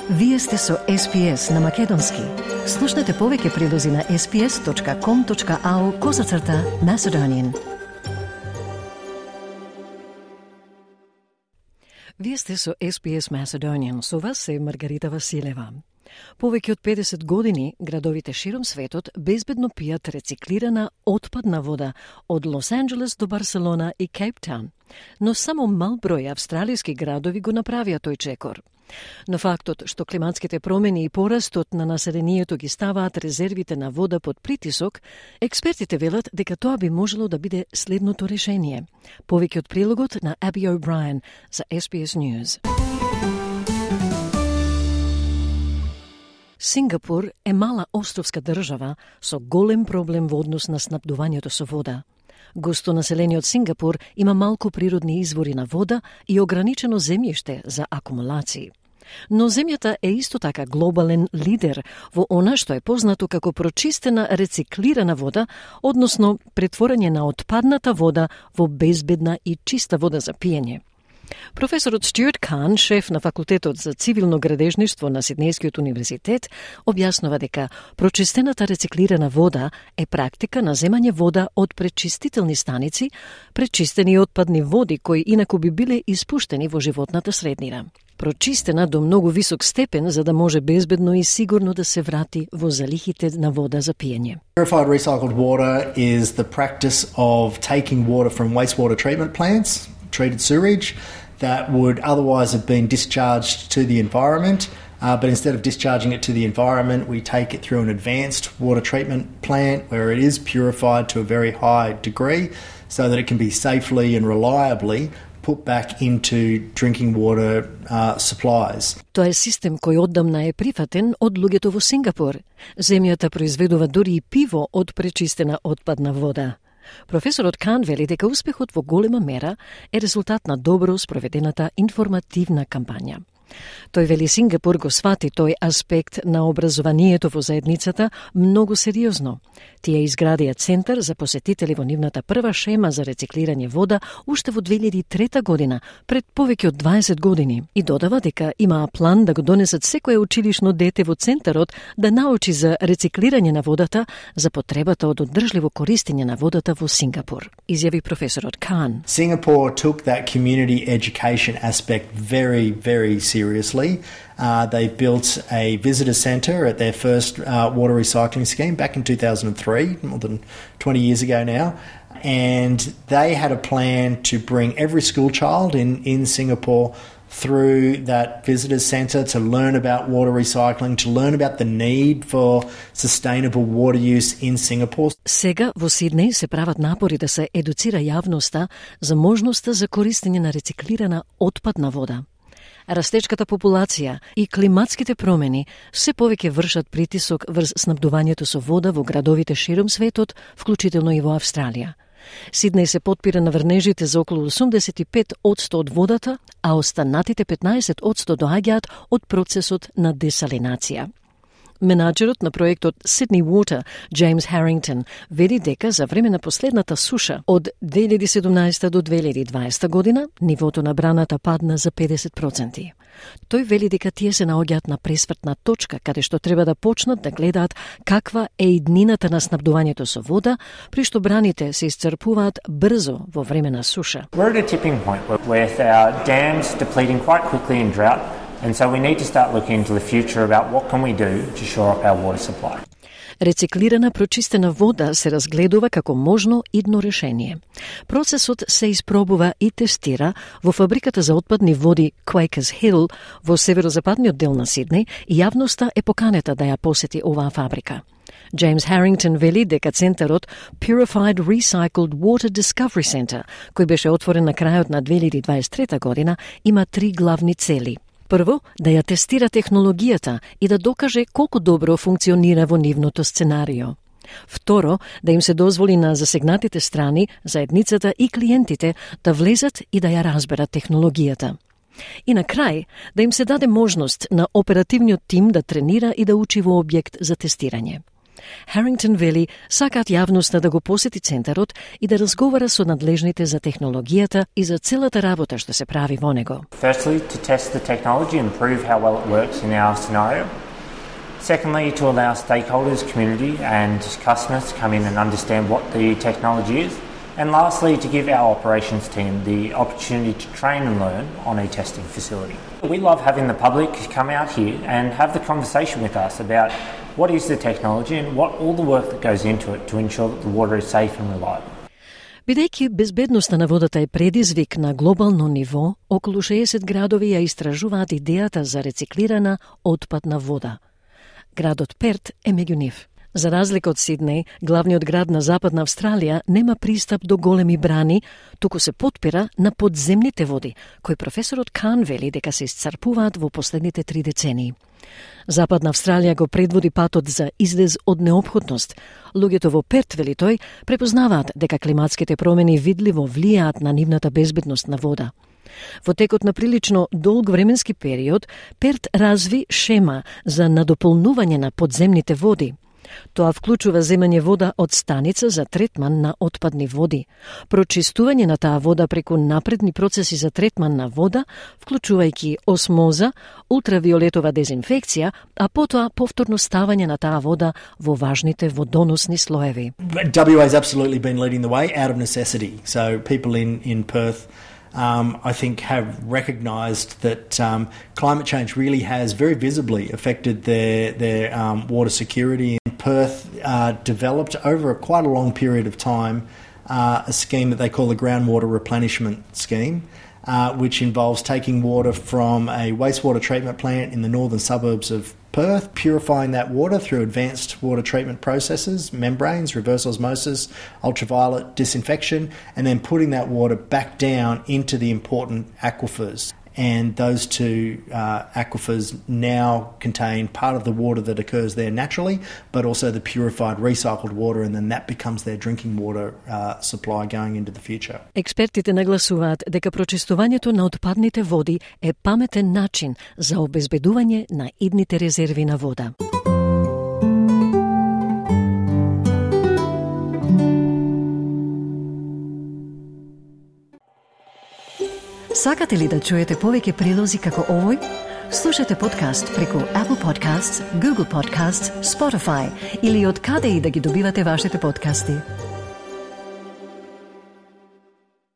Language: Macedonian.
Вие сте со SPS на Македонски. Слушнете повеќе прилози на sps.com.au/Macedonian. Вие сте со SPS Macedonian, со вас е Маргарита Василева. Повеќе од 50 години градовите широм светот безбедно пијат рециклирана отпадна вода од Лос Анџелес до Барселона и Кейптаун, но само мал број австралиски градови го направија тој чекор. Но фактот што климатските промени и порастот на населението ги ставаат резервите на вода под притисок, експертите велат дека тоа би можело да биде следното решение. Повеќе од прилогот на Аби О'Брајен за SBS News. Сингапур е мала островска држава со голем проблем во однос на снабдувањето со вода. Густо населениот Сингапур има малку природни извори на вода и ограничено земјиште за акумулации. Но земјата е исто така глобален лидер во она што е познато како прочистена рециклирана вода, односно претворање на отпадната вода во безбедна и чиста вода за пиење. Професорот Стюарт Кан, шеф на факултетот за цивилно градежништво на Сиднејскиот универзитет, објаснува дека прочистената рециклирана вода е практика на земање вода од пречистителни станици, пречистени отпадни води кои инаку би биле испуштени во животната среднина. Прочистена до многу висок степен за да може безбедно и сигурно да се врати во залихите на вода за пиење. Purified recycled water is the practice of taking water from wastewater treatment plants, treated sewage, that would otherwise have been discharged to the environment, but instead of discharging it to the environment, we take it through an advanced water treatment plant where it is purified to a very high degree so that it can be safely and reliably put back into drinking water supplies. Тоа е систем кој оддамна е прифатен од луѓето во Сингапур. Земјата произведува дури и пиво од пречистена отпадна вода. Професорот Кан вели дека успехот во голема мера е резултат на добро спроведената информативна кампања. Тој вели Сингапур го свати тој аспект на образованието во заедницата многу сериозно. Тие изградија центар за посетители во нивната прва шема за рециклирање вода уште во 2003 година, пред повеќе од 20 години, и додава дека имаа план да го донесат секое училишно дете во центарот да научи за рециклирање на водата за потребата од одржливо користење на водата во Сингапур, изјави професорот Кан. Singapore took that community education aspect very, very seriously. They built a visitor centre at their first water recycling scheme back in 2003, more than 20 years ago now, and they had a plan to bring every school child in Singapore through that visitor centre to learn about water recycling, to learn about the need for sustainable water use in Singapore. Сега во Сиднеј се прават напори да се едуцира јавноста за можноста за користење на рециклирана отпадна вода. Растечката популација и климатските промени се повеќе вршат притисок врз снабдувањето со вода во градовите широм светот, вклучително и во Австралија. Сиднеј се потпира на врнежите за околу 85% од водата, а останатите 15% доаѓаат од процесот на десалинација. Менаџерот на проектот Sydney Water, James Harrington, вели дека за време на последната суша од 2017 до 2020 година нивото на браната падна за 50%. Тој вели дека тие се наоѓаат на пресвртна точка каде што треба да почнат да гледаат каква е иднината на снабдувањето со вода, при што браните се исцрпуваат брзо во време на суша. We're at a tipping point with our dams depleting quite quickly in drought. And so we need to start looking into the future about what can we do to shore up our water supply. Рециклирана прочистена вода се разгледува како можно идно решение. Процесот се испробува и тестира во фабриката за отпадни води Quakers Hill во северозападниот дел на Сиднеј и јавноста е поканета да ја посети оваа фабрика. James Harrington вели дека центарот Purified Recycled Water Discovery Center, кој беше отворен на крајот на 2023 година, има 3 главни цели. Прво, да ја тестира технологијата и да докаже колку добро функционира во нивното сценарио. Второ, да им се дозволи на засегнатите страни, заедницата и клиентите да влезат и да ја разберат технологијата. И на крај, да им се даде можност на оперативниот тим да тренира и да учи во објект за тестирање. Harrington вели сакаат јавноста да го посети центарот и да разговара со надлежните за технологијата и за целата работа што се прави во него. Firstly, to test the technology and prove how well it works in our scenario. Secondly, to allow stakeholders, community and customers to come in and understand what the technology is. And lastly, to give our operations team the opportunity to train and learn on a testing facility. We love having the public come out here and have the conversation with us about what is the technology and what all the work that goes into it to ensure that the water is safe and reliable. Бидејќи безбедноста на водата е предизвик на глобално ниво, околу 60 градови ја истражуваат идејата за рециклирана отпадна вода. Градот Перт е меѓу нив. За разлика од Сиднеј, главниот град на Западна Австралија нема пристап до големи брани, туку се потпира на подземните води, кои професорот Кан вели дека се исцрпуваат во последните 3 децении. Западна Австралија го предводи патот за излез од неопходност. Луѓето во Перт, вели тој, препознаваат дека климатските промени видливо влијаат на нивната безбедност на вода. Во текот на прилично долг временски период, Перт разви шема за надополнување на подземните води. Тоа вклучува земање вода од станица за третман на отпадни води, прочистување на таа вода преку напредни процеси за третман на вода, вклучувајќи осмоза, ултравиолетова дезинфекција, а потоа повторно ставање на таа вода во важните водоносни слоеви. WA has absolutely been leading the way out of necessity. So people in Perth I think have recognised that climate change really has very visibly affected their water security. Perth developed over quite a long period of time a scheme that they call the groundwater replenishment scheme, which involves taking water from a wastewater treatment plant in the northern suburbs of Perth, purifying that water through advanced water treatment processes, membranes, reverse osmosis, ultraviolet disinfection, and then putting that water back down into the important aquifers. And those two aquifers now contain part of the water that occurs there naturally, but also the purified recycled water, and then that becomes their drinking water supply going into the future. Експертите нагласуваат дека прочистувањето на отпадните води е паметен начин за обезбедување на идните резерви на вода. Сакате ли да чуете повеќе прилози како овој? Слушате подкаст преку Apple Podcasts, Google Podcasts, Spotify или од каде и да ги добивате вашите подкасти.